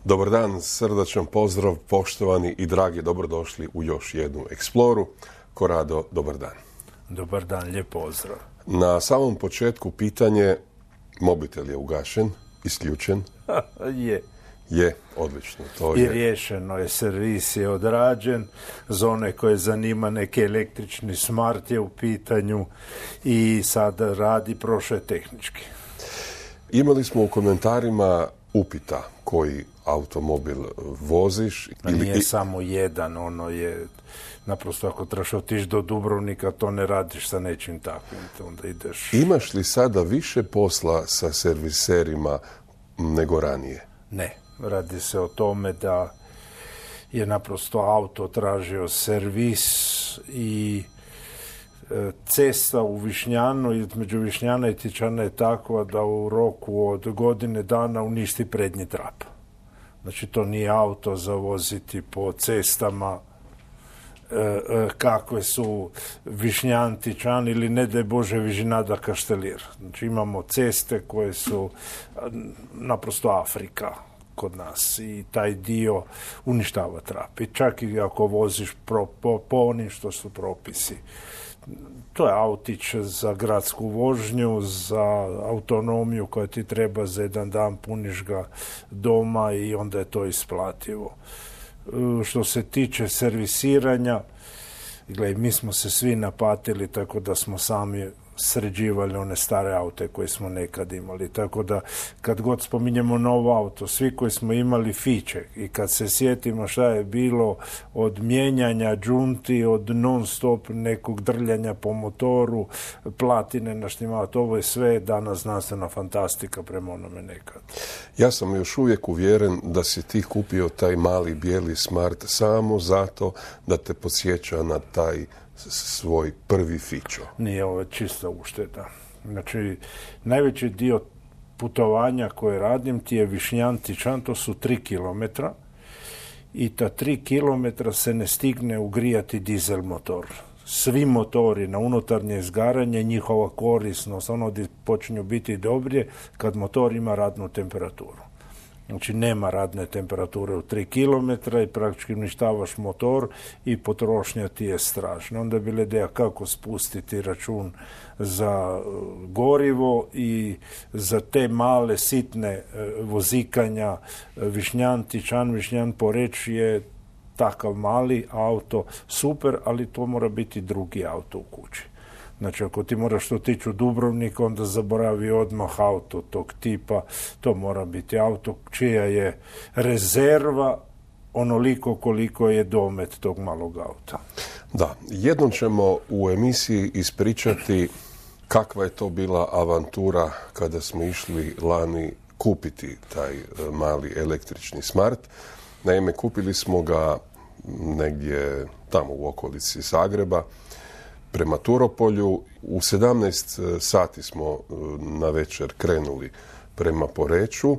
Dobar dan, srdačan pozdrav, poštovani i dragi, dobrodošli u još jednu Exploru. Korado, dobar dan. Dobar dan, lijep pozdrav. Na samom početku pitanje, mobitel je ugašen, isključen? Je, odlično. To I riješeno je, servis je odrađen, za one koje zanima neki električni smart je u pitanju i sada radi, prošao je tehnički. Imali smo u komentarima upita koji automobil voziš. Nije samo jedan, ono je, naprosto ako trebaš otići do Dubrovnika, to ne radiš sa nečim takvim, onda ideš... Imaš li sada više posla sa serviserima nego ranije? Ne, radi se o tome da je naprosto auto tražio servis i cesta u Višnjanu, između Višnjana i Tičana je takva da u roku od godine dana uništi prednji trap. Znači to nije auto za voziti po cestama kakve su Višnjan, Tičan ili ne daj Bože Vižinada, Kaštelir. Znači imamo ceste koje su naprosto Afrika kod nas i taj dio uništava trap. I čak i ako voziš po onim što su propisi. To je autić za gradsku vožnju, za autonomiju koja ti treba za jedan dan, puniš ga doma i onda je to isplativo. Što se tiče servisiranja, gledaj, mi smo se svi napatili tako da smo sami sređivali one stare aute koje smo nekad imali. Tako da kad god spominjemo novo auto, svi koji smo imali fiće i kad se sjetimo šta je bilo od mijenjanja džunti, od non stop nekog drljanja po motoru, platine naštimavati, ovo je sve danas znanstvena fantastika prema onome nekad. Ja sam još uvijek uvjeren da si ti kupio taj mali bijeli smart samo zato da te podsjeća na taj svoj prvi fićo. Nije, ovo čista ušteda. Znači, najveći dio putovanja koje radim ti je Višnjan, Tičan, to su 3 kilometra i ta 3 kilometra se ne stigne ugrijati dizel motor. Svi motori na unutarnje izgaranje, njihova korisnost, ono gdje počinju biti dobrije kad motor ima radnu temperaturu. Znači nema radne temperature u 3 km i praktički uništavaš motor i potrošnja ti je strašna. Onda je bila ideja kako spustiti račun za gorivo i za te male sitne vozikanja. Višnjan, Tičan, Višnjan, Poreč je takav mali auto, super, ali to mora biti drugi auto u kući. Znači, ako ti moraš otići u Dubrovnik, onda zaboravi odmah auto tog tipa. To mora biti auto čija je rezerva onoliko koliko je domet tog malog auta. Da, jednom ćemo u emisiji ispričati kakva je to bila avantura kada smo išli lani kupiti taj mali električni smart. Naime, kupili smo ga negdje tamo u okolici Zagreba, prema Turopolju. U 17 sati smo na večer krenuli prema Poreču,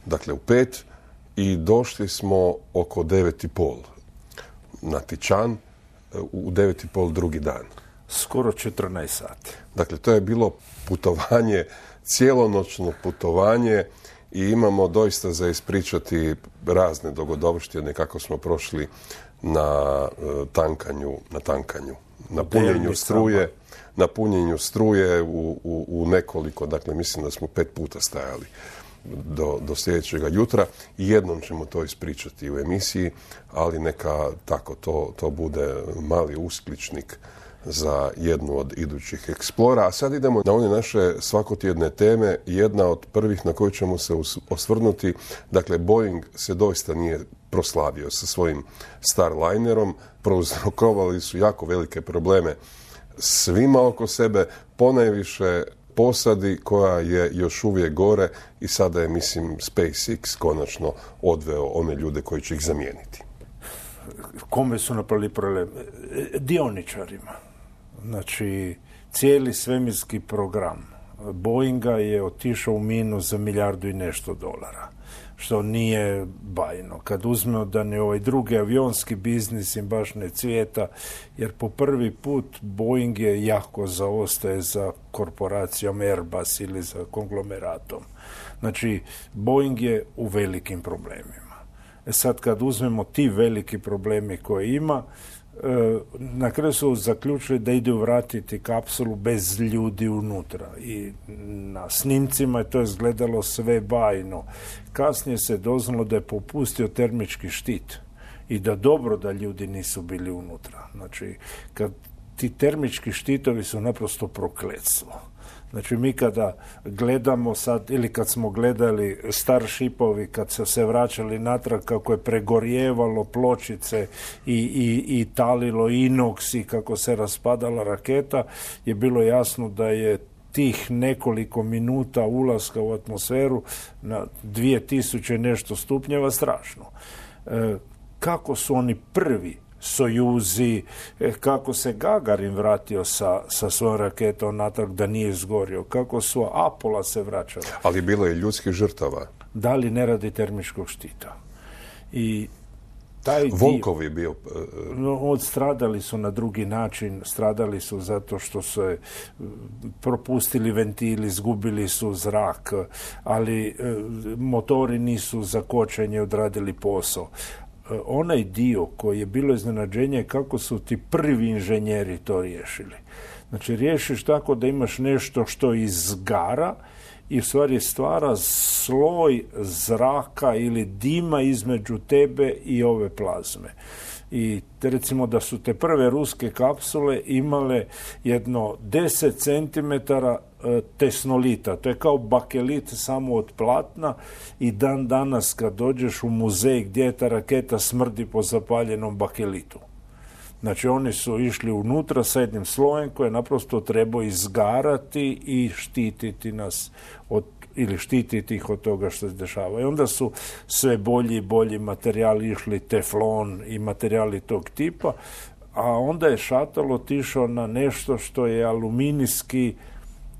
dakle u 5, i došli smo oko 9:30 na Tičan, u 9:30 drugi dan. Skoro 14 sati. Dakle, to je bilo putovanje, cijelonoćno putovanje i imamo doista za ispričati razne dogodovštine kako smo prošli na tankanju. Na punjenju struje u nekoliko, dakle mislim da smo 5 puta stajali do sljedećega jutra i jednom ćemo to ispričati u emisiji, ali neka tako to bude mali uskličnik za jednu od idućih Explora. A sad idemo na one naše svakotjedne teme. Jedna od prvih na koju ćemo se osvrnuti, dakle Boeing se doista nije proslavio sa svojim Starlinerom, prouzrokovali su jako velike probleme svima oko sebe, ponajviše posadi koja je još uvijek gore i sada je, mislim, SpaceX konačno odveo one ljude koji će ih zamijeniti. Kome su napravili problem? Dioničarima. Znači, cijeli svemirski program Boeinga je otišao u minus za $1 milijardu i nešto, što nije bajno. Kad uzmemo da ne ovaj drugi avionski biznis im baš ne cvijeta, jer po prvi put Boeing je jako zaostaje za korporacijom Airbus ili za konglomeratom. Znači, Boeing je u velikim problemima. Sad kad uzmemo ti veliki problemi koje ima, na kraju su zaključili da idu vratiti kapsulu bez ljudi unutra i na snimcima je to izgledalo sve bajno. Kasnije se doznalo da je popustio termički štit i da dobro da ljudi nisu bili unutra. Znači, kad ti termički štitovi su naprosto prokletstvo. Znači, mi kada gledamo sad, ili kad smo gledali Starshipovi, kad su se vraćali natrag, kako je pregorjevalo pločice i talilo inoks i kako se raspadala raketa, je bilo jasno da je tih nekoliko minuta ulaska u atmosferu na 2000 nešto stupnjeva strašno. Kako su oni prvi Sojuzi, kako se Gagarin vratio sa svojom raketom natrag da nije izgorio, kako su Apola se vraćali. Ali bilo je ljudskih žrtava. Da li ne radi termičkog štita. I taj Volkov je bio... Odstradali su na drugi način, stradali su zato što su propustili ventili, izgubili su zrak, ali motori nisu za kočenje odradili posao. Onaj dio koji je bilo iznenađenje kako su ti prvi inženjeri to riješili. Znači, riješiš tako da imaš nešto što izgara i u stvari stvara sloj zraka ili dima između tebe i ove plazme. I recimo da su te prve ruske kapsule imale jedno 10 cm tesnolita. To je kao bakelit samo od platna i dan danas kad dođeš u muzej gdje je ta raketa smrdi po zapaljenom bakelitu. Znači, oni su išli unutra sa jednim slojem koje naprosto treba izgarati i štititi nas ili štititi ih od toga što se dešava. I onda su sve bolji i bolji materijali išli, teflon i materijali tog tipa, a onda je šatel otišao na nešto što je aluminijski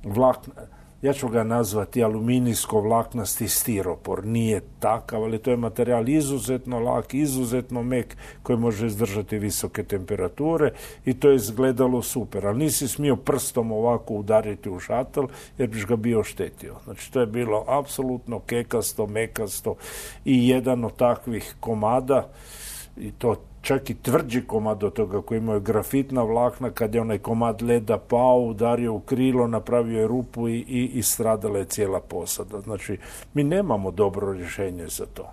vlakna. Ja ću ga nazvati aluminijsko-vlaknasti stiropor. Nije takav, ali to je materijal izuzetno lak, izuzetno mek, koji može izdržati visoke temperature i to je izgledalo super. Ali nisi smio prstom ovako udariti u šatel jer biš ga bio oštetio. Znači, to je bilo apsolutno kekasto, mekasto i jedan od takvih komada, i to čak i tvrđi komad od toga koji imaju grafitna vlakna, kad je onaj komad leda pao, udario u krilo, napravio je rupu i stradala je cijela posada. Znači, mi nemamo dobro rješenje za to.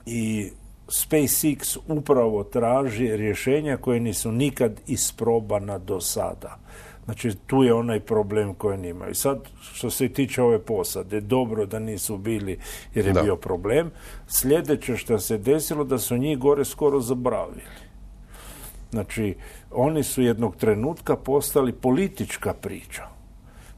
I SpaceX upravo traži rješenja koje nisu nikad isprobana do sada. Znači, tu je onaj problem koji imaju. Sad, što se tiče ove posade, dobro da nisu bili jer je bio problem. Sljedeće što se desilo da su njih gore skoro zaboravili. Znači, oni su jednog trenutka postali politička priča.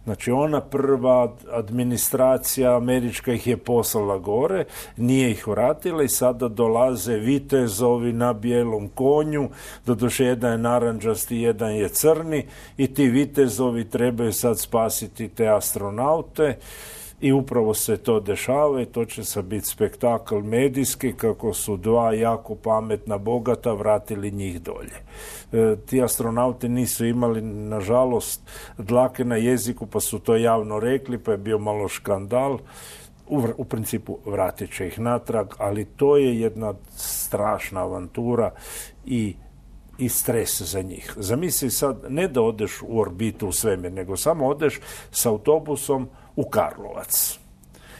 Znači, ona prva administracija američka ih je poslala gore, nije ih vratila i sada dolaze vitezovi na bijelom konju, doduše jedan je narandžasti, jedan je crni i ti vitezovi trebaju sad spasiti te astronaute i upravo se to dešava i to će sad biti spektakl medijski kako su dva jako pametna bogata vratili njih dolje. Ti astronauti nisu imali, nažalost, dlake na jeziku, pa su to javno rekli, pa je bio malo škandal. U principu vratit će ih natrag, ali to je jedna strašna avantura i stres za njih. Zamisli sad, ne da odeš u orbitu u svemir, nego samo odeš s autobusom u Karlovac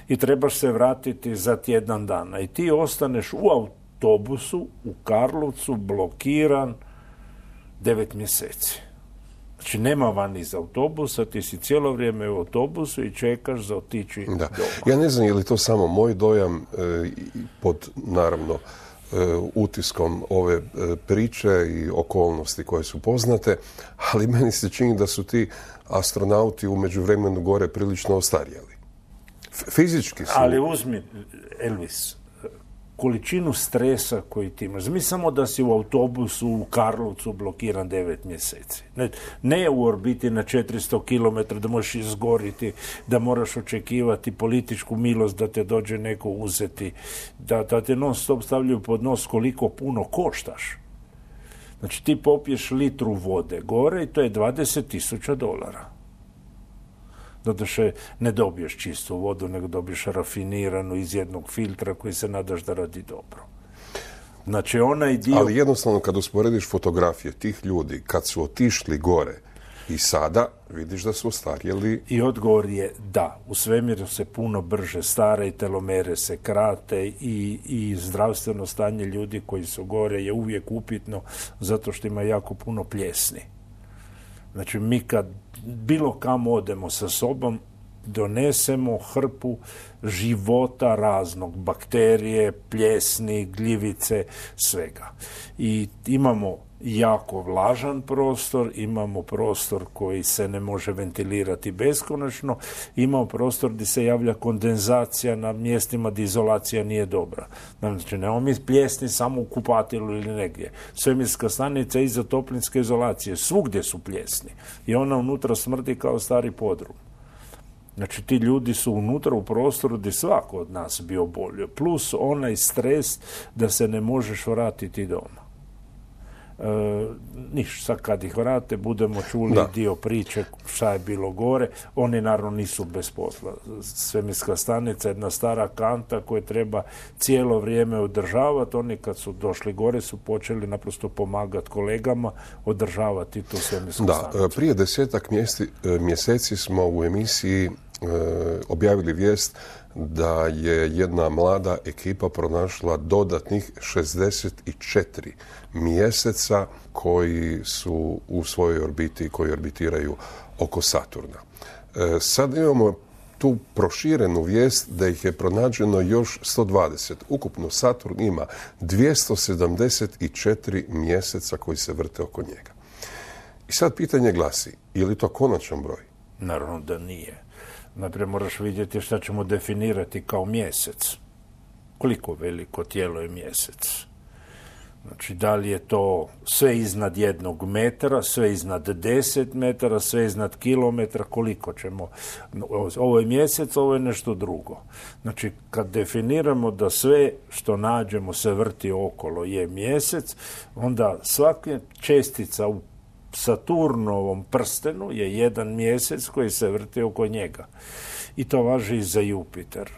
i trebaš se vratiti za tjedan dana i ti ostaneš u autobusu u Karlovcu blokiran 9 mjeseci. Znači, nema van iz autobusa, ti si cijelo vrijeme u autobusu i čekaš za otići doma. Ja ne znam je li to samo moj dojam pod, naravno, utiskom ove priče i okolnosti koje su poznate, ali meni se čini da su ti astronauti u međuvremenu gore prilično ostarjeli. Fizički su... Ali uzmi, Elvis, količinu stresa koji ti imaš. Mi samo da si u autobusu u Karlovcu blokiran 9 mjeseci. Ne u orbiti na 400 km da možeš izgoriti, da moraš očekivati političku milost da te dođe neko uzeti, da te non stop stavljaju pod nos koliko puno koštaš. Znači, ti popiješ litru vode gore i to je $20,000. Doduše ne dobiješ čistu vodu, nego dobiješ rafiniranu iz jednog filtra koji se nadaš da radi dobro. Znači onaj dio... Ali jednostavno kad usporediš fotografije tih ljudi kad su otišli gore i sada, vidiš da su ostarjeli. I odgovor je da. U svemiru se puno brže stara i telomere se krate i zdravstveno stanje ljudi koji su gore je uvijek upitno zato što ima jako puno pljesni. Znači mi kad bilo kam odemo sa sobom, donesemo hrpu života raznog, bakterije, pljesni, gljivice, svega. I imamo jako vlažan prostor, imamo prostor koji se ne može ventilirati beskonačno, imamo prostor gdje se javlja kondenzacija na mjestima gdje izolacija nije dobra. Znači, nemamo mi pljesni samo u kupatilu ili negdje. Svemirska stanica iza toplinske izolacije, svugdje su pljesni. I ona unutra smrdi kao stari podrum. Znači, ti ljudi su unutra u prostoru gdje svako od nas bi obolio. Plus onaj stres da se ne možeš vratiti doma. Sad kad ih vrate budemo čuli dio priče šta je bilo gore. Oni naravno nisu bez posla. Svemirska stanica je jedna stara kanta koju treba cijelo vrijeme održavati. Oni kad su došli gore su počeli naprosto pomagati kolegama održavati tu svemirsku stanicu. Prije 10 mjeseci smo u emisiji objavili vijest da je jedna mlada ekipa pronašla dodatnih 64 mjeseca koji su u svojoj orbiti, koji orbitiraju oko Saturna. Sad imamo tu proširenu vijest da ih je pronađeno još 120. Ukupno Saturn ima 274 mjeseca koji se vrte oko njega. I sad pitanje glasi, je li to konačan broj? Naravno da nije. Naprijed moraš vidjeti šta ćemo definirati kao mjesec. Koliko veliko tijelo je mjesec? Znači, da li je to sve iznad 1 metra, sve iznad 10 metara, sve iznad kilometra, koliko ćemo... Ovo je mjesec, ovo je nešto drugo. Znači, kad definiramo da sve što nađemo se vrti okolo je mjesec, onda svaka čestica u Saturnovom prstenu je jedan mjesec koji se vrti oko njega. I to važi i za Jupiter.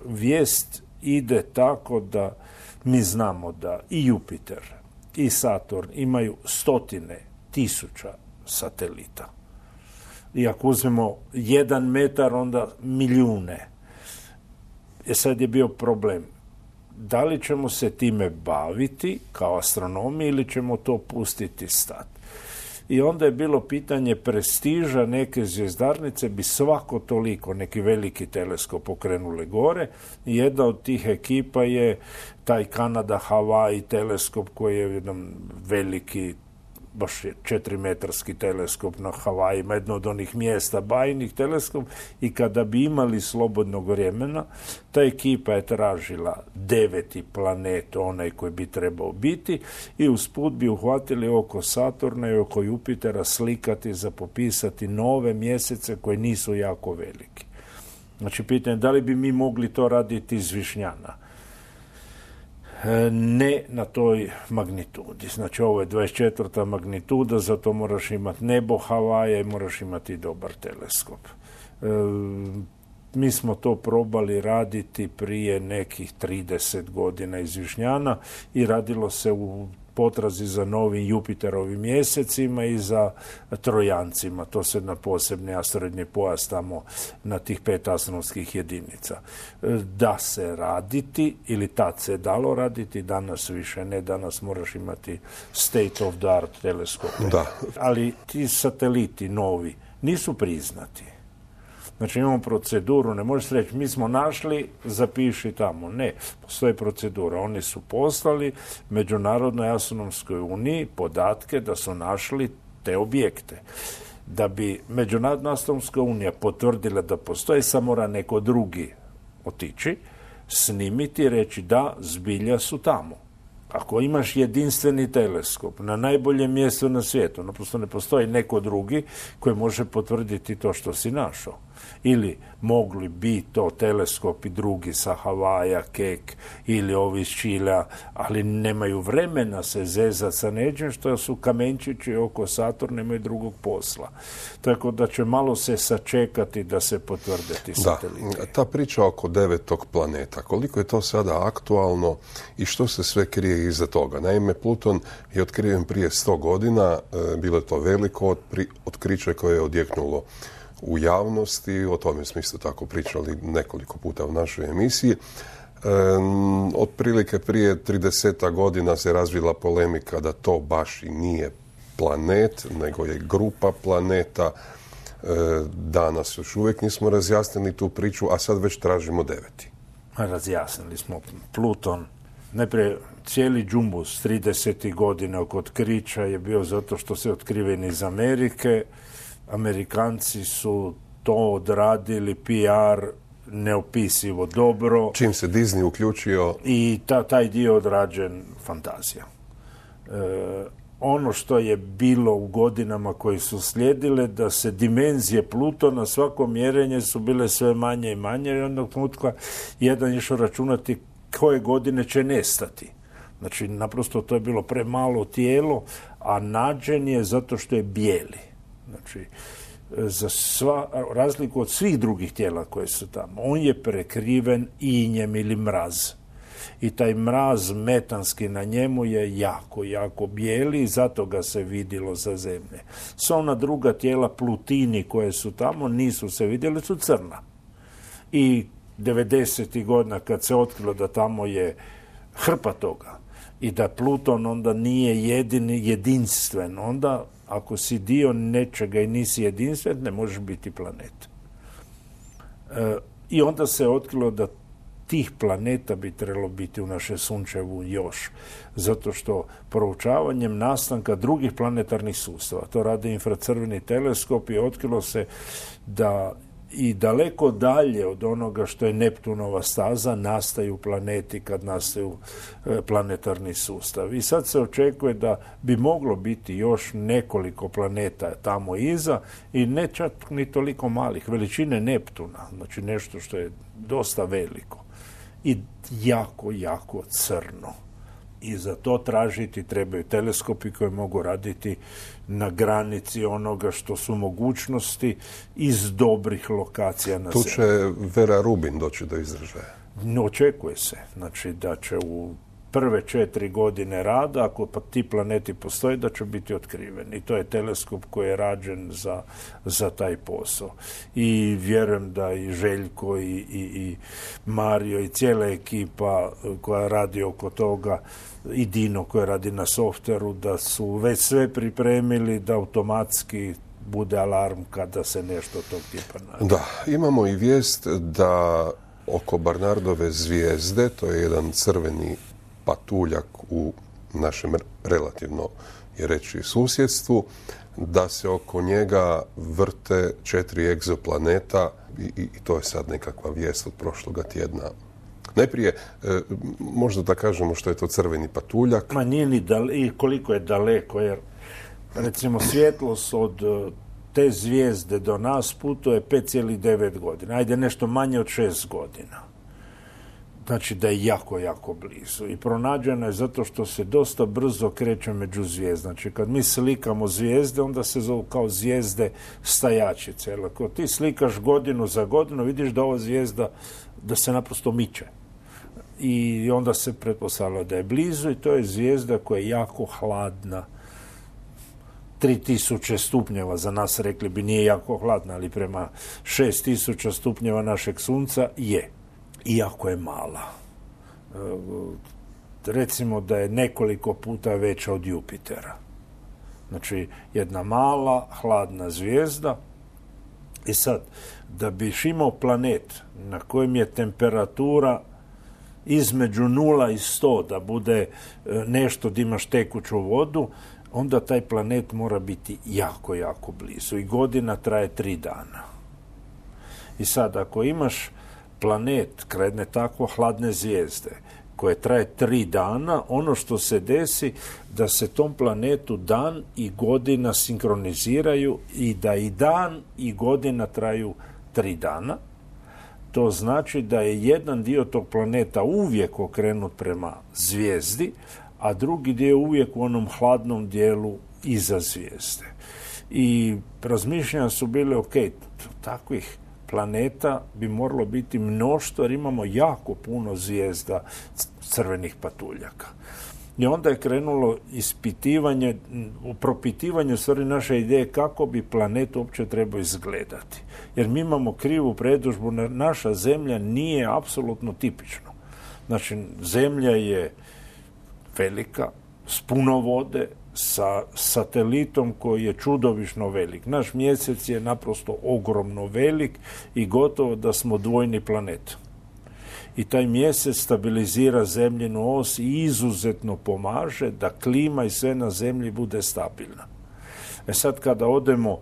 Vijest ide tako da mi znamo da i Jupiter i Saturn imaju 100.000 satelita. I ako uzmemo 1 metar, onda milijune. Sad je bio problem. Da li ćemo se time baviti kao astronomi ili ćemo to pustiti stati? I onda je bilo pitanje prestiža neke zvjezdarnice bi svako toliko neki veliki teleskop pokrenule gore. I jedna od tih ekipa je taj Kanada-Hawaii teleskop koji je jedan veliki, baš 4-metarski teleskop na Havajima, jedno od onih mjesta bajnih teleskop, i kada bi imali slobodnog vremena, ta ekipa je tražila 9. planet, onaj koji bi trebao biti, i usput bi uhvatili oko Saturna i oko Jupitera slikati za popisati nove mjesece koji nisu jako veliki. Znači, pitanje da li bi mi mogli to raditi iz Višnjana? Ne na toj magnitudi. Znači, ovo je 24. magnituda, zato moraš imati nebo Havaja i moraš imati dobar teleskop. Mi smo to probali raditi prije nekih 30 godina iz Višnjana i radilo se u potrazi za novim Jupiterovim mjesecima i za trojancima. To se na posebni asteroidni pojas tamo na tih 5 astronomskih jedinica. Da se raditi, ili tad se dalo raditi, danas više ne, danas moraš imati state of the art teleskope. Da. Ali ti sateliti novi nisu priznati. Znači, imamo proceduru, ne možeš reći mi smo našli, zapiši tamo. Ne, postoji procedura. Oni su poslali Međunarodnoj astronomskoj uniji podatke da su našli te objekte. Da bi Međunarodna astronomska unija potvrdila da postoji, samo mora neko drugi otići, snimiti i reći da, zbilja su tamo. Ako imaš jedinstveni teleskop na najboljem mjestu na svijetu, naprosto ne postoji neko drugi koji može potvrditi to što si našao. Ili mogli bi to teleskopi drugi sa Havaja, Kek ili ovi iz Čilea, ali nemaju vremena se zezati sa nečim što su kamenčići oko Saturna, nemaju drugog posla. Tako da će malo se sačekati da se potvrde ti sateliti. Da, ta priča oko 9. planeta, koliko je to sada aktualno i što se sve krije iza toga? Naime, Pluton je otkriven prije 100 godina, bilo je to veliko otkriće koje je odjeknulo u javnosti, o tome smo isto tako pričali nekoliko puta u našoj emisiji. Otprilike prije 30 godina se razvila polemika da to baš i nije planet, nego je grupa planeta. Danas još uvijek nismo razjasnili tu priču, a sad već tražimo 9. Razjasnili smo. Pluton, najprije cijeli džumbus 30. godina oko otkrića je bio zato što se otkriven iz Amerike. Amerikanci su to odradili, PR, neopisivo dobro. Čim se Disney uključio. I taj dio odrađen fantazija. Ono što je bilo u godinama koji su slijedile, da se dimenzije Plutona, svako mjerenje su bile sve manje i manje, i jednog trenutka jedan išao računati koje godine će nestati. Znači, naprosto to je bilo premalo tijelo, a nađen je zato što je bijeli. Znači, za razliku od svih drugih tijela koje su tamo, on je prekriven injem ili mraz. I taj mraz metanski na njemu je jako, jako bijeli i zato ga se vidjelo za Zemlje. Sva ona druga tijela Plutini koje su tamo nisu se vidjeli, su crna. I 90. godina kad se otkrilo da tamo je hrpa toga i da Pluton onda nije jedinstven, onda ako si dio nečega i nisi jedinstven, ne možeš biti planet. I onda se otkrilo da tih planeta bi trebalo biti u našem sunčevu još, zato što proučavanjem nastanka drugih planetarnih sustava, to rade infracrveni teleskop, i otkrilo se da i daleko dalje od onoga što je Neptunova staza nastaju planeti kad nastaju planetarni sustav. I sad se očekuje da bi moglo biti još nekoliko planeta tamo iza i ne čak ni toliko malih, veličine Neptuna, znači nešto što je dosta veliko i jako, jako crno. I za to tražiti trebaju teleskopi koji mogu raditi na granici onoga što su mogućnosti iz dobrih lokacija na Zemlji. Tu će Vera Rubin doći do izražaja. Očekuje se, znači da će u prve 4 godine rada, ako pa ti planeti postoje, da će biti otkriveni. I to je teleskop koji je rađen za taj posao. I vjerujem da i Željko i Mario i cijela ekipa koja radi oko toga, i Dino koji radi na softveru, da su već sve pripremili da automatski bude alarm kada se nešto tog tipa nađe. Da, imamo i vijest da oko Barnardove zvijezde, to je jedan crveni patuljak u našem relativno, je reći, susjedstvu, da se oko njega vrte 4 egzoplaneta i to je sad nekakva vijest od prošloga tjedna. Najprije, možda da kažemo što je to crveni patuljak. Ma nije ni koliko je daleko, jer recimo svjetlost od te zvijezde do nas putuje 5,9 godina. Ajde, nešto manje od 6 godina. Znači da je jako, jako blizu. I pronađena je zato što se dosta brzo kreće među zvijezde. Znači kad mi slikamo zvijezde, onda se zovu kao zvijezde stajačice. Jer ako ti slikaš godinu za godinu, vidiš da ova zvijezda, da se naprosto miče. I onda se pretpostavlja da je blizu i to je zvijezda koja je jako hladna. 3000 stupnjeva, za nas rekli bi nije jako hladna, ali prema 6000 stupnjeva našeg sunca je. Iako je mala. Recimo da je nekoliko puta veća od Jupitera. Znači, jedna mala, hladna zvijezda. I sad, da biš imao planet na kojem je temperatura između 0 i 100, da bude nešto da imaš tekuću vodu, onda taj planet mora biti jako, jako blizu. I godina traje 3 dana. I sad, ako imaš planet kraj jedne tako hladne zvijezde koje traje 3 dana, ono što se desi da se tom planetu dan i godina sinkroniziraju i da i dan i godina traju 3 dana. To znači da je jedan dio tog planeta uvijek okrenut prema zvijezdi, a drugi dio uvijek u onom hladnom dijelu iza zvijezde. I razmišljanja su bile, ok, takvih planeta bi moralo biti mnoštvo, jer imamo jako puno zvijezda crvenih patuljaka. I onda je krenulo ispitivanje, propitivanje u stvari naše ideje kako bi planet uopće trebao izgledati. Jer mi imamo krivu predodžbu, naša Zemlja nije apsolutno tipična. Znači, Zemlja je velika, s puno vode, sa satelitom koji je čudovišno velik. Naš mjesec je naprosto ogromno velik i gotovo da smo dvojni planet. I taj mjesec stabilizira zemljinu os i izuzetno pomaže da klima i sve na zemlji bude stabilna. Sad kada odemo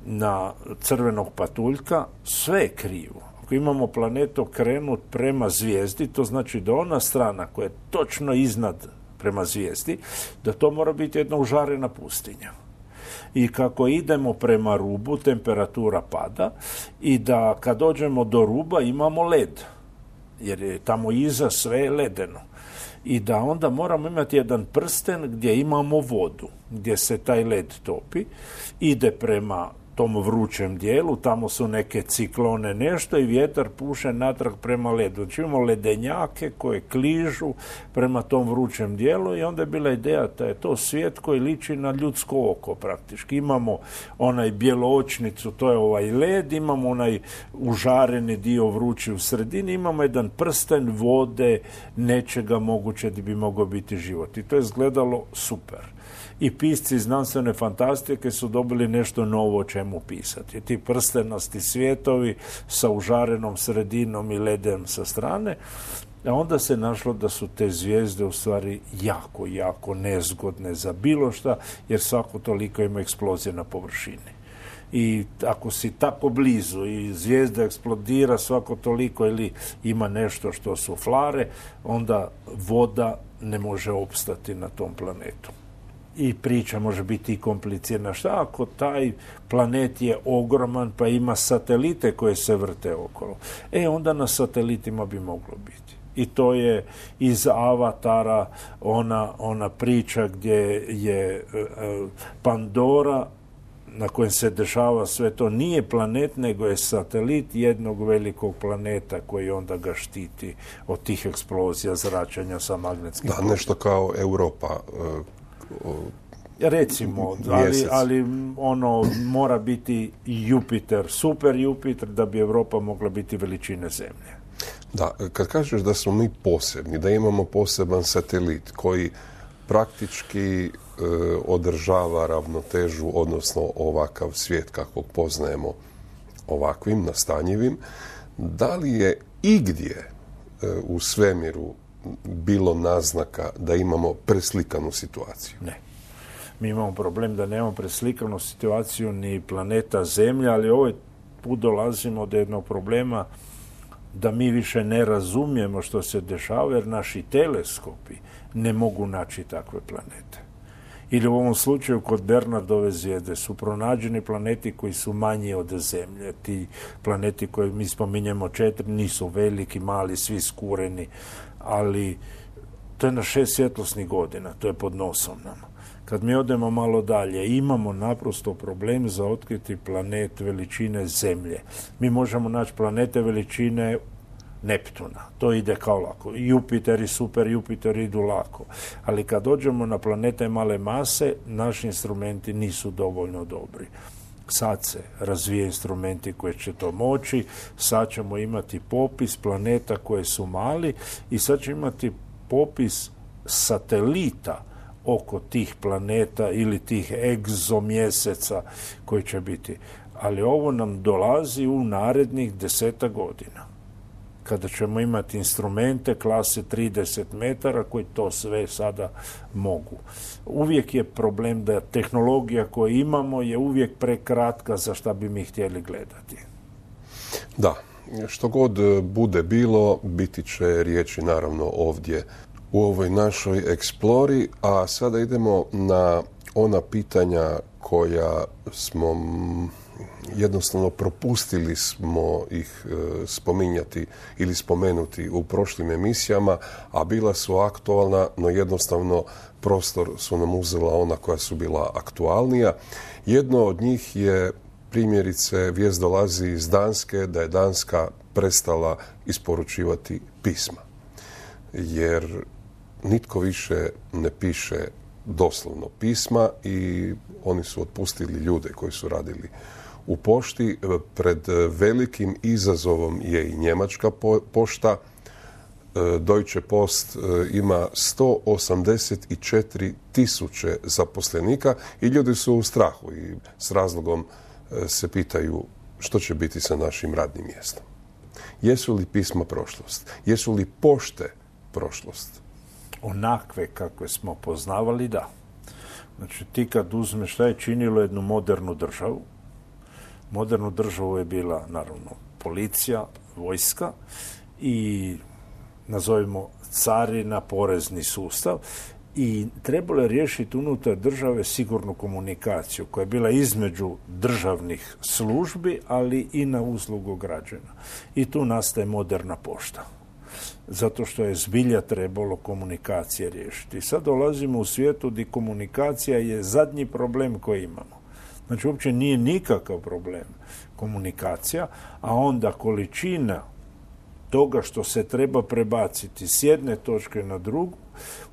na crvenog patuljka, sve je krivo. Ako imamo planet okrenut prema zvijezdi, to znači da ona strana koja je točno iznad prema zvijezdi, da to mora biti jedna užarena pustinja. I kako idemo prema rubu, temperatura pada i da kad dođemo do ruba imamo led, jer je tamo iza sve ledeno. I da onda moramo imati jedan prsten gdje imamo vodu, gdje se taj led topi, ide prema tom vrućem dijelu, tamo su neke ciklone nešto i vjetar puše natrag prema ledu. Znači imamo ledenjake koje kližu prema tom vrućem dijelu i onda je bila ideja da je to svijet koji liči na ljudsko oko praktički. Imamo onaj bjeloočnicu, to je ovaj led, imamo onaj užareni dio vrući u sredini, imamo jedan prsten vode, nečega moguće da bi mogao biti život. I to je izgledalo super. I pisci znanstvene fantastike su dobili nešto novo o čemu pisati. Ti prstenasti svijetovi sa užarenom sredinom i ledem sa strane, a onda se našlo da su te zvijezde u stvari jako, jako nezgodne za bilo šta, jer svako toliko ima eksplozije na površini. I ako si tako blizu i zvijezda eksplodira svako toliko ili ima nešto što su flare, onda voda ne može opstati na tom planetu. I priča može biti i komplicirana. Šta ako taj planet je ogroman pa ima satelite koje se vrte okolo? Onda na satelitima bi moglo biti. I to je iz Avatara ona priča gdje je Pandora na kojem se dešava sve to, nije planet, nego je satelit jednog velikog planeta koji onda ga štiti od tih eksplozija, zračenja sa magnetskim poljima. Da, nešto kao Europa. Recimo, ali mora biti Jupiter, super Jupiter, da bi Europa mogla biti veličine Zemlje. Da, kad kažeš da smo mi posebni, da imamo poseban satelit koji praktički održava ravnotežu, odnosno ovakav svijet kakvog poznajemo ovakvim, nastanjivim, da li je igdje u svemiru bilo naznaka da imamo preslikanu situaciju? Ne. Mi imamo problem da nemamo preslikanu situaciju ni planeta Zemlja, ali ovaj put dolazimo do jednog problema da mi više ne razumijemo što se dešava, jer naši teleskopi ne mogu naći takve planete. Ili u ovom slučaju kod Bernardove zvijezde su pronađeni planeti koji su manji od Zemlje. Ti planeti koje mi spominjemo 4 nisu veliki, mali, svi skureni, ali to je na 6 svjetlosnih godina, to je pod nosom nama. Kad mi odemo malo dalje, imamo naprosto problem za otkriti planet veličine Zemlje. Mi možemo naći planete veličine Neptuna. To ide kao lako. Jupiter i super Jupiter idu lako. Ali kad dođemo na planete male mase, naši instrumenti nisu dovoljno dobri. Sad se razvije instrumenti koji će to moći, sad ćemo imati popis planeta koje su mali i sad ćemo imati popis satelita oko tih planeta ili tih egzomjeseca koji će biti. Ali ovo nam dolazi u narednih 10 godina. Kada ćemo imati instrumente klase 30 metara koji to sve sada mogu. Uvijek je problem da tehnologija koju imamo je uvijek prekratka za šta bi mi htjeli gledati. Da, što god bude bilo, biti će riječi naravno ovdje u ovoj našoj eksplori, a sada idemo na ona pitanja koja smo jednostavno propustili smo ih spominjati ili spomenuti u prošlim emisijama, a bila su aktualna, no jednostavno prostor su nam uzela ona koja su bila aktualnija. Jedno od njih je, primjerice, vijest dolazi iz Danske da je Danska prestala isporučivati pisma. Jer nitko više ne piše doslovno pisma i oni su otpustili ljude koji su radili u pošti. Pred velikim izazovom je i njemačka pošta. Deutsche Post ima 184.000 zaposlenika i ljudi su u strahu i s razlogom se pitaju što će biti sa našim radnim mjestom. Jesu li pisma prošlost? Jesu li pošte prošlost? Onakve kakve smo poznavali, da. Znači, ti kad uzmeš šta je činilo jednu modernu državu, modernu državu je bila, naravno, policija, vojska i, nazovimo, carina, porezni sustav, i trebalo je riješiti unutar države sigurnu komunikaciju koja je bila između državnih službi, ali i na uslugu građana. I tu nastaje moderna pošta. Zato što je zbilja trebalo komunikacije riješiti. Sad dolazimo u svijetu gdje komunikacija je zadnji problem koji imamo. Znači, uopće nije nikakav problem komunikacija, a onda količina toga što se treba prebaciti s jedne točke na drugu,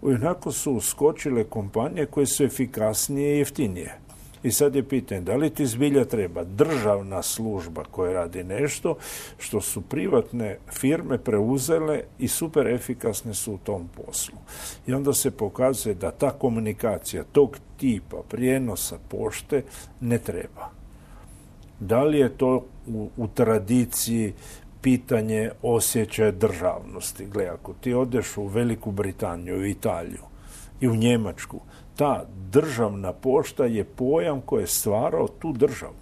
onako su uskočile kompanije koje su efikasnije i jeftinije. I sad je pitanje, da li ti zbilja treba državna služba koja radi nešto što su privatne firme preuzele i super efikasne su u tom poslu. I onda se pokazuje da ta komunikacija tog tipa prijenosa pošte ne treba. Da li je to u tradiciji pitanje osjećaja državnosti? Gle, ako ti odeš u Veliku Britaniju, u Italiju i u Njemačku, ta državna pošta je pojam koji je stvarao tu državu.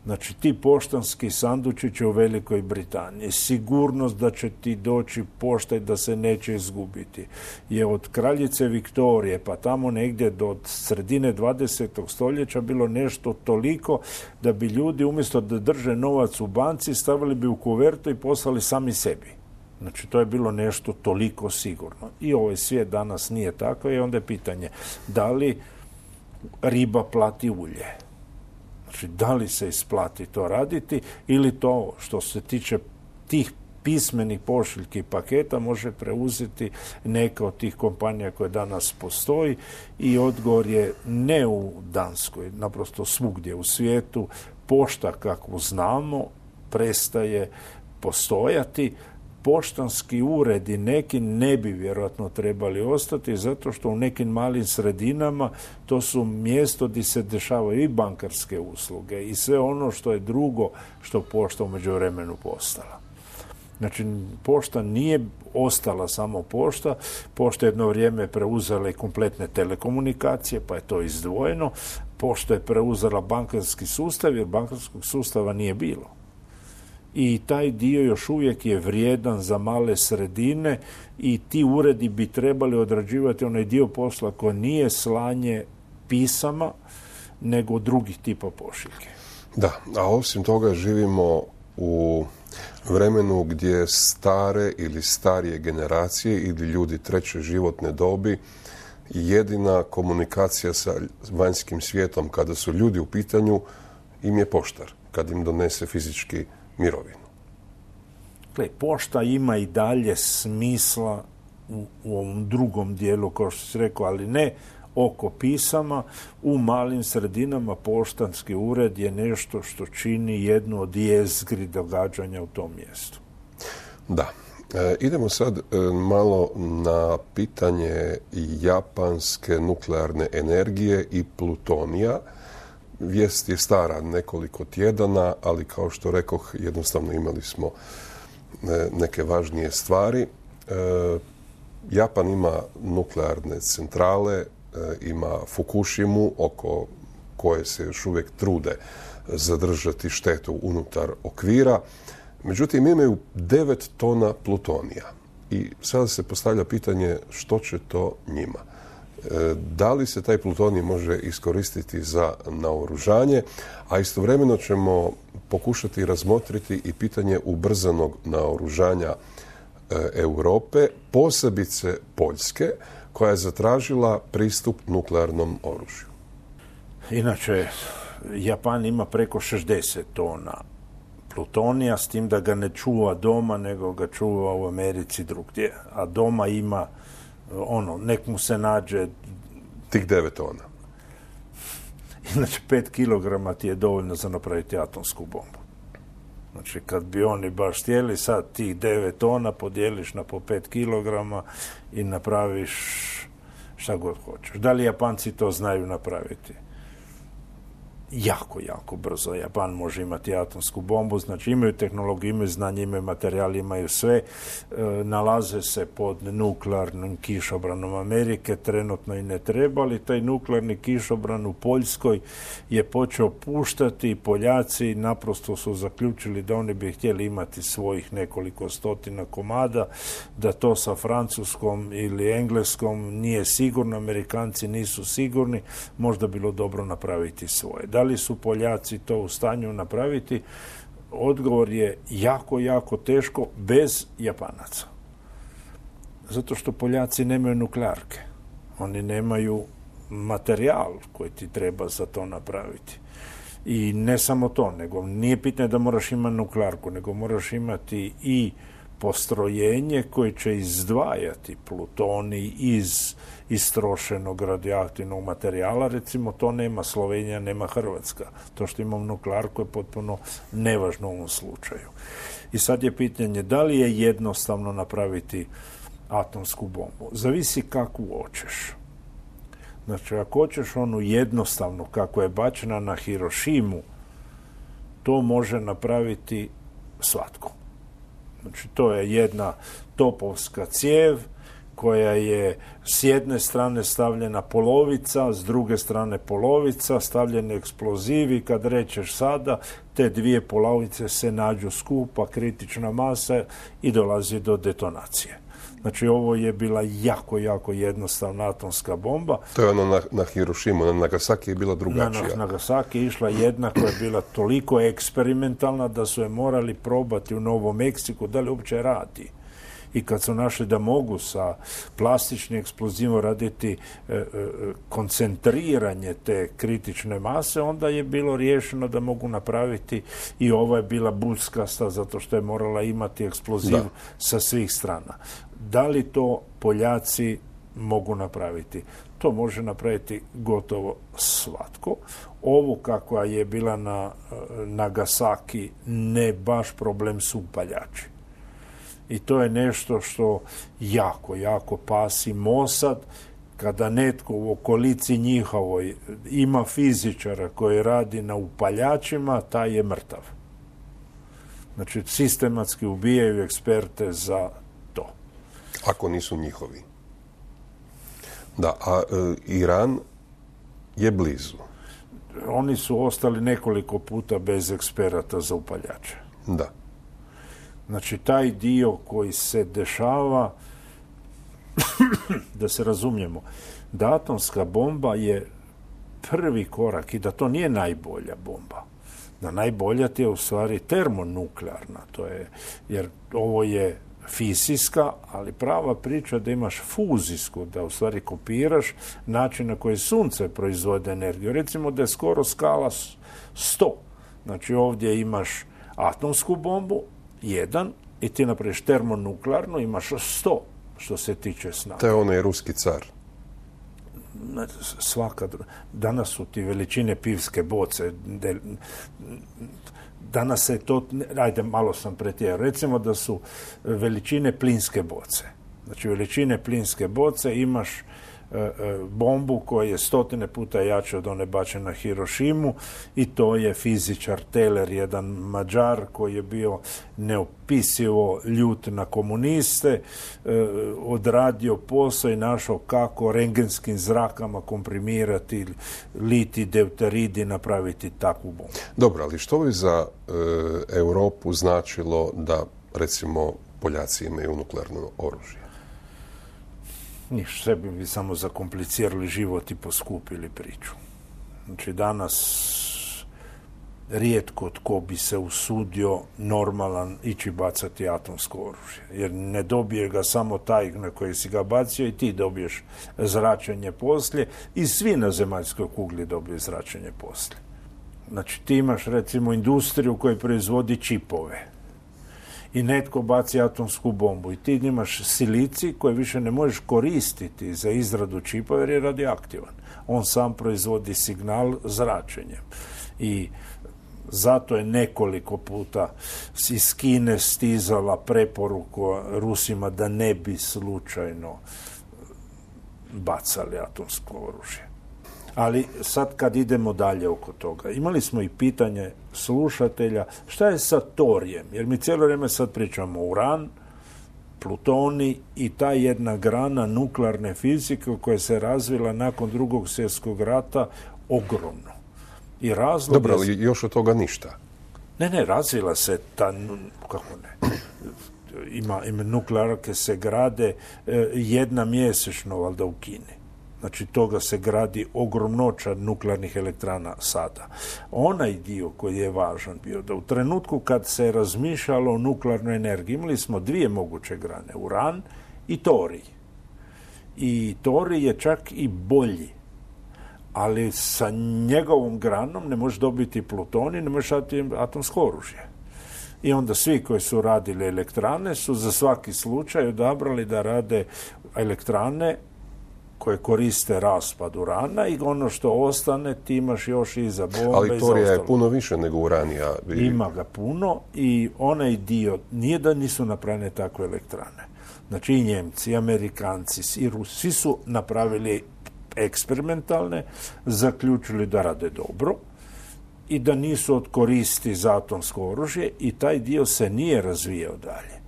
Znači, ti poštanski sandučići u Velikoj Britaniji, sigurnost da će ti doći pošta i da se neće izgubiti, je od kraljice Viktorije pa tamo negdje do sredine 20. stoljeća bilo nešto toliko da bi ljudi umjesto da drže novac u banci stavili bi u kuvertu i poslali sami sebi. Znači, to je bilo nešto toliko sigurno. I ovaj svijet danas nije tako i onda je pitanje da li riba plati ulje. Znači, da li se isplati to raditi ili to što se tiče tih pismenih pošiljki i paketa može preuzeti neka od tih kompanija koje danas postoji, i odgovor je ne u Danskoj, naprosto svugdje u svijetu. Pošta kakvu znamo prestaje postojati. Poštanski uredi neki ne bi vjerojatno trebali ostati zato što u nekim malim sredinama to su mjesto gdje se dešavaju i bankarske usluge i sve ono što je drugo što pošta u međuvremenu postala. Znači, pošta nije ostala samo pošta. Pošta jedno vrijeme preuzela i kompletne telekomunikacije, pa je to izdvojeno. Pošta je preuzela bankarski sustav jer bankarskog sustava nije bilo. I taj dio još uvijek je vrijedan za male sredine i ti uredi bi trebali odrađivati onaj dio posla koji nije slanje pisama, nego drugih tipa pošiljke. Da, a osim toga živimo u vremenu gdje stare ili starije generacije ili ljudi treće životne dobi jedina komunikacija sa vanjskim svijetom kada su ljudi u pitanju im je poštar, kad im donese fizički mirovinu. Gle, pošta ima i dalje smisla u ovom drugom dijelu, kao što si rekao, ali ne oko pisama. U malim sredinama poštanski ured je nešto što čini jednu od jezgri događanja u tom mjestu. Da. Idemo sad malo na pitanje japanske nuklearne energije i plutonija. Vijest je stara nekoliko tjedana, ali kao što rekoh, jednostavno imali smo neke važnije stvari. Japan ima nuklearne centrale, ima Fukushimu, oko koje se još uvijek trude zadržati štetu unutar okvira. Međutim, imaju 9 tona plutonija. I sada se postavlja pitanje što će to njima. Da li se taj plutonij može iskoristiti za naoružanje, a istovremeno ćemo pokušati razmotriti i pitanje ubrzanog naoružanja Europe, posebice Poljske, koja je zatražila pristup nuklearnom oružju. Inače, Japan ima preko 60 tona plutonija, s tim da ga ne čuva doma, nego ga čuva u Americi drugdje. A doma ima, nek mu se nađe... Tih 9 tona. Inače, 5 kilograma ti je dovoljno za napraviti atomsku bombu. Znači, kad bi oni baš htjeli, sad tih 9 tona podijeliš na po 5 kilograma i napraviš šta god hoćeš. Da li Japanci to znaju napraviti? Jako, jako brzo. Japan može imati atomsku bombu, znači imaju tehnologiju, imaju znanje, imaju materijal, imaju sve. Nalaze se pod nuklearnim kišobranom Amerike, trenutno i ne treba, ali taj nuklearni kišobran u Poljskoj je počeo puštati i Poljaci naprosto su zaključili da oni bi htjeli imati svojih nekoliko stotina komada, da to sa Francuskom ili Engleskom nije sigurno, Amerikanci nisu sigurni, možda bilo dobro napraviti svoje. Da li su Poljaci to u stanju napraviti? Odgovor je jako, jako teško bez Japanaca. Zato što Poljaci nemaju nuklearke. Oni nemaju materijal koji ti treba za to napraviti. I ne samo to, nego nije pitanje da moraš imati nuklearku, nego moraš imati i postrojenje koje će izdvajati plutonij iz istrošenog radioaktivnog materijala. Recimo, to nema Slovenija, nema Hrvatska. To što imamo nuklearku je potpuno nevažno u ovom slučaju. I sad je pitanje da li je jednostavno napraviti atomsku bombu. Zavisi kakvu hoćeš. Znači, ako hoćeš onu jednostavnu kako je bačena na Hirošimu, to može napraviti svatko. Znači, to je jedna topovska cijev koja je s jedne strane stavljena polovica, s druge strane polovica, stavljeni eksplozivi. Kad rečeš sada, te dvije polovice se nađu skupa, kritična masa i dolazi do detonacije. Znači, ovo je bila jako, jako jednostavna atomska bomba. To je ono na Hirošimu, na Nagasaki je bila drugačija. Na Nagasaki je išla jedna koja je bila toliko eksperimentalna da su je morali probati u Novom Meksiku da li uopće radi. I kad su našli da mogu sa plastičnim eksplozivom raditi koncentriranje te kritične mase, onda je bilo riješeno da mogu napraviti i ova je bila buckasta zato što je morala imati eksploziv sa svih strana. Da li to Poljaci mogu napraviti? To može napraviti gotovo svatko. Ovu kakva je bila na Nagasaki, ne baš problem su upaljači. I to je nešto što jako, jako pasi Mossad. Kada netko u okolici njihovoj ima fizičara koji radi na upaljačima, taj je mrtav. Znači, sistematski ubijaju eksperte za to. Ako nisu njihovi. Da, a Iran je blizu. Oni su ostali nekoliko puta bez eksperata za upaljače. Da. Znači, taj dio koji se dešava, da se razumijemo, da atomska bomba je prvi korak i da to nije najbolja bomba. Da najbolja ti je u stvari termonuklearna, to je, jer ovo je fizijska, ali prava priča da imaš fuzijsku, da u stvari kopiraš način na koji sunce proizvode energiju. Recimo da je skoro skala 100. Znači, ovdje imaš atomsku bombu, 1, i ti napraviš termonuklearnu, imaš 100 što se tiče snage. To je onaj ruski car. Danas su ti veličine pivske boce. Danas se to, ajde, malo sam pretjerao. Recimo da su veličine plinske boce. Znači, veličine plinske boce imaš bombu koja je 100 puta jača od one bačene na Hirošimu i to je fizičar Teller, jedan Mađar koji je bio neopisivo ljut na komuniste, odradio posao i našao kako rengenskim zrakama komprimirati litij deuterid i napraviti takvu bombu. Dobro, ali što bi za Europu značilo da, recimo, Poljaci imaju nuklearno oružje? Ništa, sebi bi samo zakomplicirali život i poskupili priču. Znači, danas rijetko tko bi se usudio normalan ići bacati atomsko oružje. Jer ne dobije ga samo taj na koji si ga bacio i ti dobiješ zračenje poslije i svi na zemaljskoj kugli dobiju zračenje poslije. Znači, ti imaš recimo industriju koja proizvodi čipove i netko baci atomsku bombu i ti imaš silicij koji više ne možeš koristiti za izradu čipova jer je radioaktivan. On sam proizvodi signal zračenjem. I zato je nekoliko puta iz Kine stizala preporuka Rusima da ne bi slučajno bacali atomsko oružje. Ali sad kad idemo dalje oko toga, imali smo i pitanje slušatelja šta je sa torijem, jer mi cijelo vrijeme sad pričamo uran, plutoni i ta jedna grana nuklearne fizike koja se razvila nakon Drugog svjetskog rata ogromno. I razlog dobro, ali još od toga ništa. Ne, razvila se ta, kako ne, ima nuklearke se grade jedna mjesečno, valjda u Kini. Znači, toga se gradi ogromnoća nuklearnih elektrana sada. Onaj dio koji je važan bio da u trenutku kad se razmišljalo o nuklearnoj energiji, imali smo dvije moguće grane, uran i torij. I torij je čak i bolji. Ali sa njegovom granom ne možeš dobiti plutonij, ne možeš atomsko oružje. I onda svi koji su radili elektrane su za svaki slučaj odabrali da rade elektrane koje koriste raspad urana i ono što ostane ti imaš još i za bombe. Ali torija je puno više nego uranija. Ima ga puno i onaj dio, nije da nisu napravljene takve elektrane. Znači i Njemci, i Amerikanci, i Rusi, svi su napravili eksperimentalne, zaključili da rade dobro i da nisu od koristi za atomsko oružje i taj dio se nije razvijao dalje.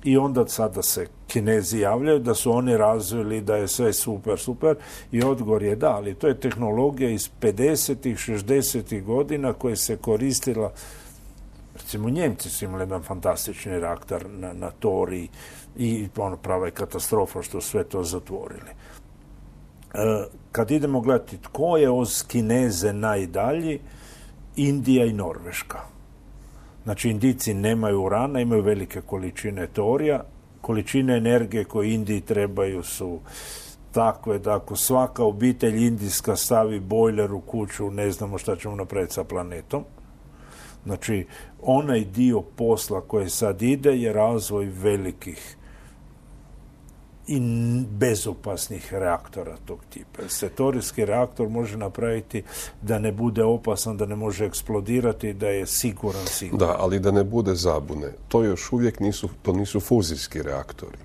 I onda sada se Kinezi javljaju da su oni razvili da je sve super i odgovor je da, ali to je tehnologija iz 50-ih, 60-ih godina koja se koristila, recimo Njemci su imali jedan fantastični reaktor na toriji i prava je katastrofa što sve to zatvorili. Kad idemo gledati tko je uz Kineze najdalji, Indija i Norveška. Znači, Indijci nemaju urana, imaju velike količine torija. Količine energije koje Indiji trebaju su takve da ako svaka obitelj indijska stavi bojler u kuću, ne znamo šta ćemo napraviti sa planetom. Znači, onaj dio posla koji sad ide je razvoj velikih i bezopasnih reaktora tog tipa. Se torijski reaktor može napraviti da ne bude opasan, da ne može eksplodirati, da je siguran. Da, ali da ne bude zabune. To još uvijek nisu fuzijski reaktori.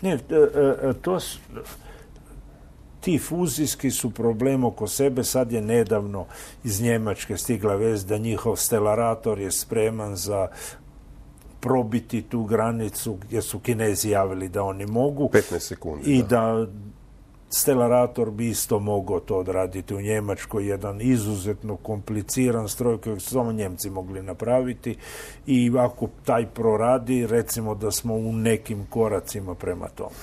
Ne, ti fuzijski su problem oko sebe. Sad je nedavno iz Njemačke stigla vest da njihov stelarator je spreman za probiti tu granicu gdje su Kinezi javili da oni mogu. 15 sekundi. I da stelarator bi isto mogao to odraditi u Njemačkoj. Jedan izuzetno kompliciran stroj kojeg su samo Njemci mogli napraviti. I ako taj proradi, recimo da smo u nekim koracima prema tome.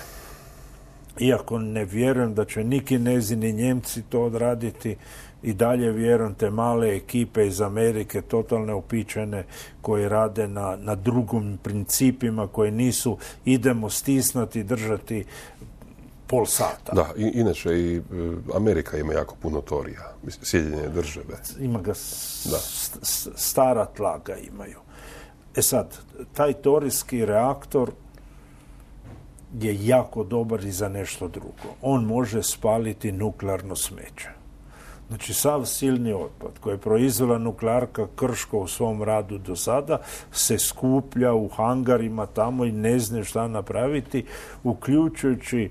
Iako ne vjerujem da će ni Kinezi ni Njemci to odraditi, i dalje vjerujem te male ekipe iz Amerike, totalne upičene, koje rade na drugim principima, koje nisu idemo stisnuti, držati pol sata. Da, inače i Amerika ima jako puno torija, Sjedinjene države. Ima ga, stara tla ga imaju. Sad, taj torijski reaktor je jako dobar i za nešto drugo. On može spaliti nuklearno smeće. Znači, sav silni otpad koji je proizvela nuklearka Krško u svom radu do sada se skuplja u hangarima tamo i ne zna šta napraviti, uključujući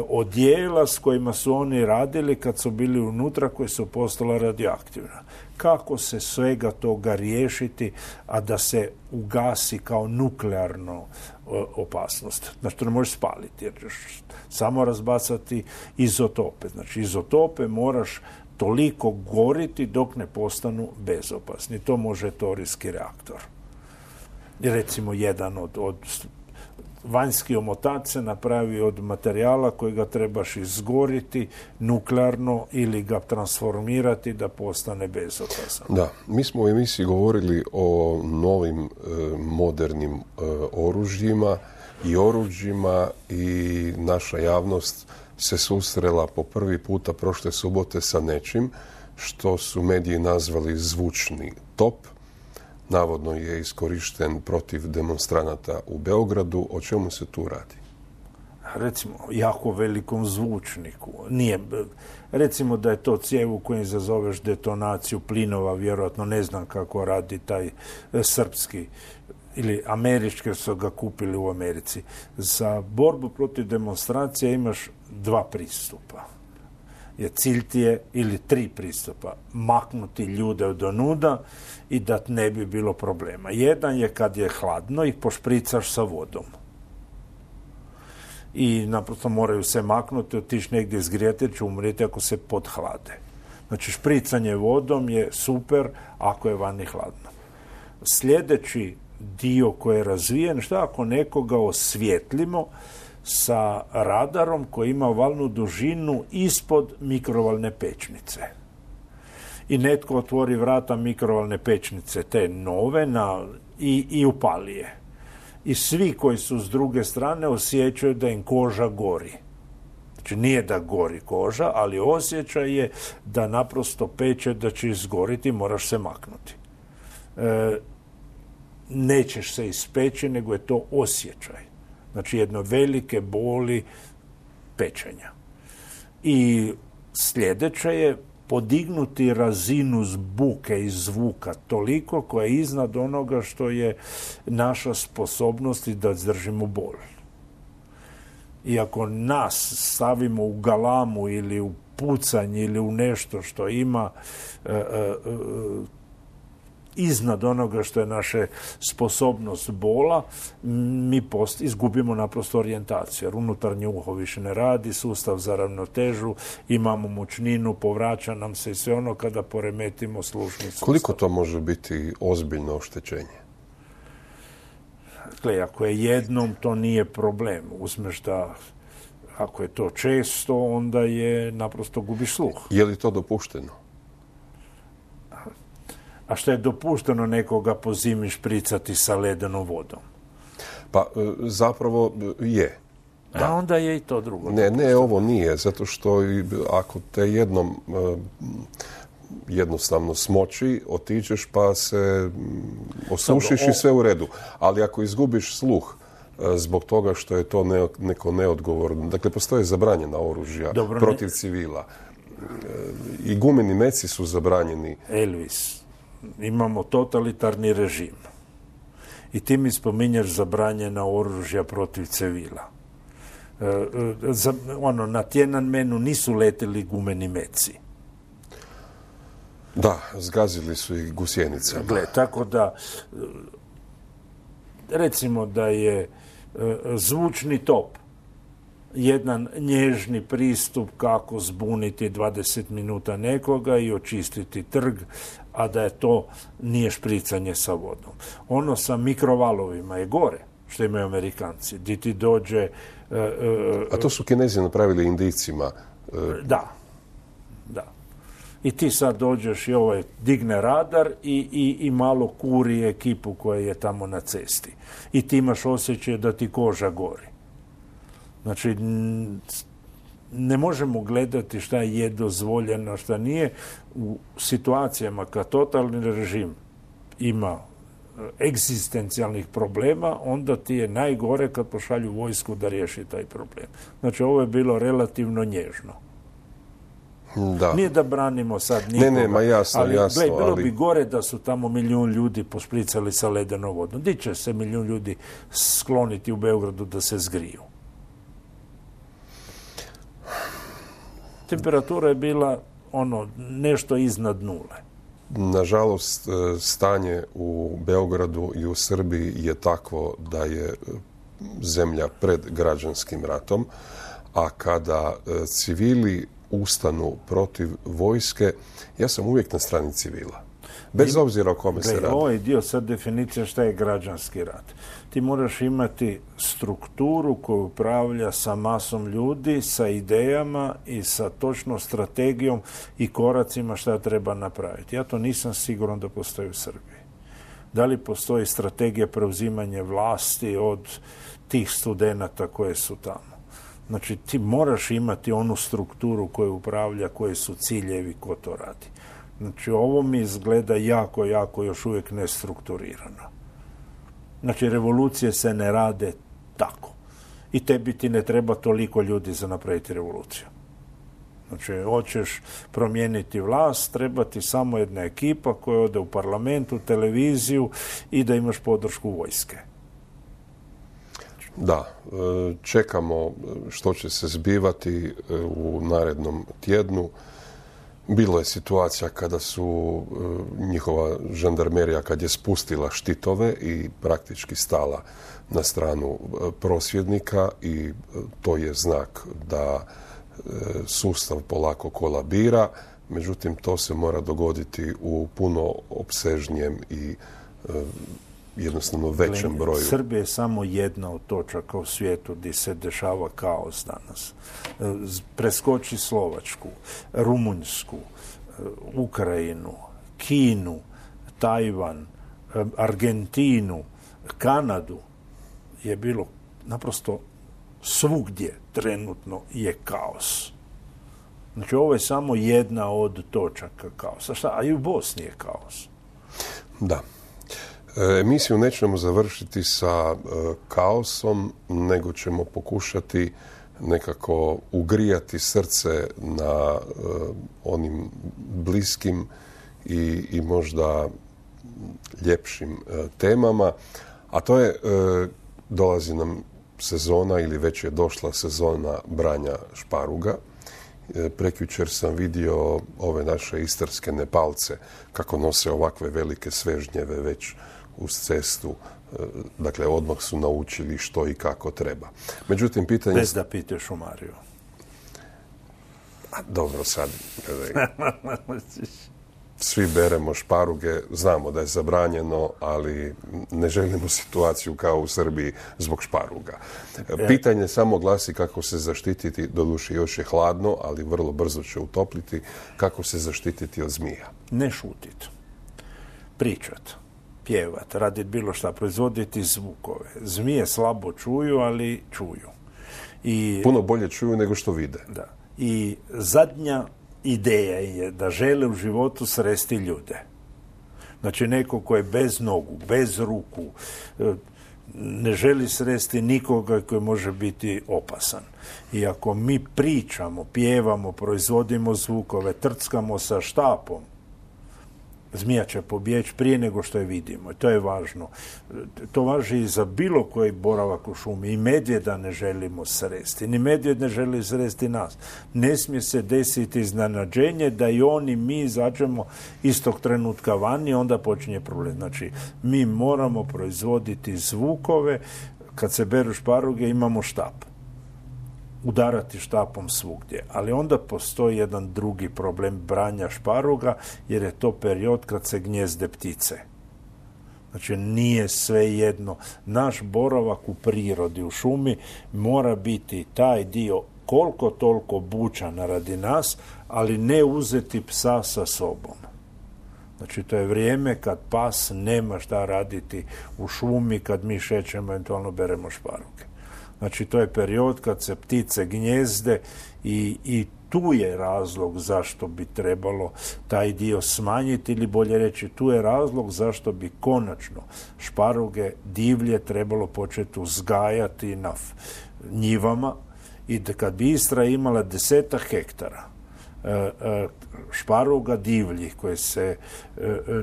odijela s kojima su oni radili kad su bili unutra, koje su postala radioaktivna. Kako se svega toga riješiti, a da se ugasi kao nuklearno opasnost? Znači, to ne možeš spaliti, jer ćeš samo razbacati izotope. Znači, izotope moraš toliko goriti dok ne postanu bezopasni. To može torijski reaktor. Recimo, jedan od vanjski omotač se napravi od materijala kojega trebaš izgoriti nuklearno ili ga transformirati da postane bezopasan. Da, mi smo u emisiji govorili o novim modernim oružjima i oruđima i naša javnost se susrela po prvi puta prošle subote sa nečim što su mediji nazvali zvučni top. Navodno je iskorišten protiv demonstranata u Beogradu. O čemu se tu radi? Recimo, jako velikom zvučniku. Nije, recimo da je to cijev u kojem zazoveš detonaciju plinova, vjerojatno ne znam kako radi taj srpski ili američki, su ga kupili u Americi. Za borbu protiv demonstracije imaš 2 pristupa. Cilj ti je, ili 3 pristupa, maknuti ljude od onuda i da ne bi bilo problema. Jedan je kad je hladno i pošpricaš sa vodom. I naprosto moraju se maknuti, otići negdje zgrijati jer će umrijeti ako se podhlade. Znači, špricanje vodom je super ako je vani hladno. Sljedeći dio koji je razvijen, šta ako nekoga osvijetlimo sa radarom koji ima valnu dužinu ispod mikrovalne pečnice. I netko otvori vrata mikrovalne pečnice, te nove, i upali je. I svi koji su s druge strane osjećaju da im koža gori. Znači nije da gori koža, ali osjećaj je da naprosto peče, da će izgoriti, moraš se maknuti. Nećeš se ispeći, nego je to osjećaj. Znači jedno velike boli pečenja. I sljedeće je podignuti razinu buke i zvuka toliko koja je iznad onoga što je naša sposobnost da izdržimo bol. I ako nas stavimo u galamu ili u pucanje ili u nešto što ima iznad onoga što je naša sposobnost bola, mi izgubimo naprosto orijentaciju, jer unutarnje uho više ne radi, sustav za ravnotežu, imamo mučninu, povraća nam se i sve ono kada poremetimo slušni sustav. Koliko to može biti ozbiljno oštećenje? Dakle, ako je jednom, to nije problem. Uzmeš da, ako je to često, onda je naprosto gubiš sluh. Je li to dopušteno? A što je dopušteno nekoga po zimi špricati sa ledenom vodom? Pa zapravo je. Da. A onda je i to drugo. Ne, ovo nije, zato što ako te jednom jednostavno smoči, otiđeš pa se osušiš i sve u redu. Ali ako izgubiš sluh zbog toga što je to neko neodgovorno, dakle postoje zabranjena oružja protiv civila. I gumeni meci su zabranjeni. Elvis, imamo totalitarni režim. I ti mi spominješ zabranjena oružja protiv civila. Na Tiananmenu nisu letili gumeni meci. Da, zgazili su i gusjenicama. Gle, tako da, recimo da je zvučni top jedan nježni pristup kako zbuniti 20 minuta nekoga i očistiti trg, a da je to nije špricanje sa vodom. Ono sa mikrovalovima je gore, što imaju Amerikanci. Di ti dođe... A to su Kinezi napravili Indijcima. Da. I ti sad dođeš i digne radar i malo kuri ekipu koja je tamo na cesti. I ti imaš osjećaj da ti koža gori. Znači, ne možemo gledati šta je dozvoljeno, šta nije. U situacijama kad totalni režim ima egzistencijalnih problema, onda ti je najgore kad pošalju vojsku da riješi taj problem. Znači, ovo je bilo relativno nježno. Da. Nije da branimo sad nikoga. Ne, jasno. Bilo bi gore da su tamo 1 milijun ljudi pošpricali sa ledenom vodom. Di će se 1 milijun ljudi skloniti u Beogradu da se zgriju? Temperatura je bila nešto iznad nule. Nažalost, stanje u Beogradu i u Srbiji je takvo da je zemlja pred građanskim ratom, a kada civili ustanu protiv vojske, ja sam uvijek na strani civila. Bez obzira o kome se radi. Ovaj dio sad definicija šta je građanski rat. Ti moraš imati strukturu koju upravlja sa masom ljudi, sa idejama i sa točnom strategijom i koracima šta treba napraviti. Ja to nisam siguran da postoji u Srbiji. Da li postoji strategija preuzimanja vlasti od tih studenata koje su tamo? Znači, ti moraš imati onu strukturu koju upravlja, koji su ciljevi, ko to radi. Znači, ovo mi izgleda jako još uvijek nestrukturirano. Znači, revolucije se ne rade tako. I tebi ti ne treba toliko ljudi za napraviti revoluciju. Znači, hoćeš promijeniti vlast, treba ti samo jedna ekipa koja ode u parlamentu, televiziju i da imaš podršku vojske. Da, čekamo što će se zbivati u narednom tjednu. Bilo je situacija kada su njihova žandarmerija, kad je spustila štitove i praktički stala na stranu prosvjednika i to je znak da sustav polako kolabira. Međutim, to se mora dogoditi u puno opsežnijem i jednostavno većem broju. Srbija je samo jedna od točaka u svijetu gdje se dešava kaos danas. Preskoči Slovačku, Rumunjsku, Ukrajinu, Kinu, Tajvan, Argentinu, Kanadu je bilo naprosto svugdje trenutno je kaos. Znači, ovo je samo jedna od točaka kaosa. Šta? A i u Bosni je kaos. Da. Emisiju nećemo završiti sa kaosom, nego ćemo pokušati nekako ugrijati srce na onim bliskim i možda ljepšim temama. A to je, dolazi nam sezona ili već je došla sezona branja šparuga. Prekjučer sam vidio ove naše istarske Nepalce kako nose ovakve velike svežnjeve već uz cestu. Dakle, odmah su naučili što i kako treba. Međutim, pitanje... Bez da pitaš u Mariju. Dobro, sad... Svi beremo šparuge, znamo da je zabranjeno, ali ne želimo situaciju kao u Srbiji zbog šparuga. Pitanje samo glasi kako se zaštititi, doduše još je hladno, ali vrlo brzo će utopliti, kako se zaštititi od zmija. Ne šutit, pričat, pjevat, radit bilo šta, proizvoditi zvukove. Zmije slabo čuju, ali čuju. Puno bolje čuju nego što vide. Da. I zadnja ideja je da žele u životu sresti ljude. Znači, neko ko je bez nogu, bez ruku, ne želi sresti nikoga koji može biti opasan. I ako mi pričamo, pjevamo, proizvodimo zvukove, trckamo sa štapom, zmija će pobjeći prije nego što je vidimo. I to je važno. To važi i za bilo koji boravak u šumi. I medvjeda ne želimo sresti. Ni medvjed ne želi sresti nas. Ne smije se desiti iznenađenje da i oni mi izađemo istog trenutka vani, onda počinje problem. Znači, mi moramo proizvoditi zvukove. Kad se beru šparuge, imamo štap. Udarati štapom svugdje. Ali onda postoji jedan drugi problem branja šparuga, jer je to period kad se gnjezde ptice. Znači, nije sve jedno. Naš boravak u prirodi, u šumi, mora biti taj dio koliko toliko bučan radi nas, ali ne uzeti psa sa sobom. Znači, to je vrijeme kad pas nema šta raditi u šumi, kad mi šećemo, eventualno beremo šparuge. Znači, to je period kad se ptice gnjezde i tu je razlog zašto bi trebalo taj dio smanjiti, ili bolje reći, tu je razlog zašto bi konačno šparuge divlje trebalo početi uzgajati na njivama i da kad bi Istra imala 10 hektara šparuga divljih koje se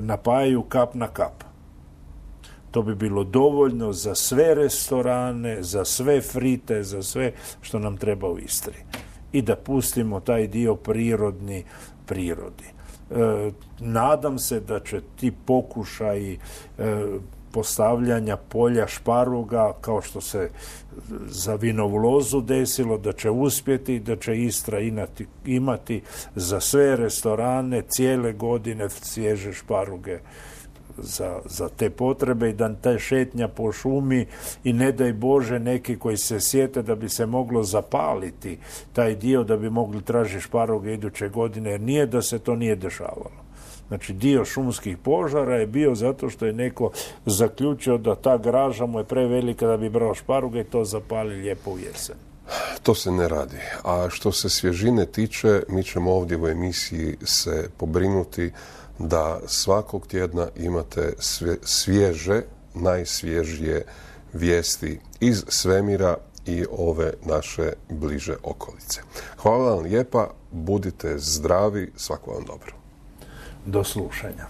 napajaju kap na kap, to bi bilo dovoljno za sve restorane, za sve frite, za sve što nam treba u Istri. I da pustimo taj dio prirodi. Nadam se da će ti pokušaji postavljanja polja šparoga, kao što se za vinovu lozu desilo, da će uspjeti, da će Istra imati za sve restorane cijele godine svježe šparoge za te potrebe, i da ta šetnja po šumi, i ne daj Bože neki koji se sjete da bi se moglo zapaliti taj dio, da bi mogli tražiti šparoge iduće godine, jer nije da se to nije dešavalo. Znači, dio šumskih požara je bio zato što je neko zaključio da ta graža mu je prevelika da bi brao šparoge i to zapali lijepo u jesen. To se ne radi. A što se svježine tiče, mi ćemo ovdje u emisiji se pobrinuti da svakog tjedna imate svježe, najsvježije vijesti iz svemira i ove naše bliže okolice. Hvala vam lijepa, budite zdravi, svako vam dobro. Do slušanja.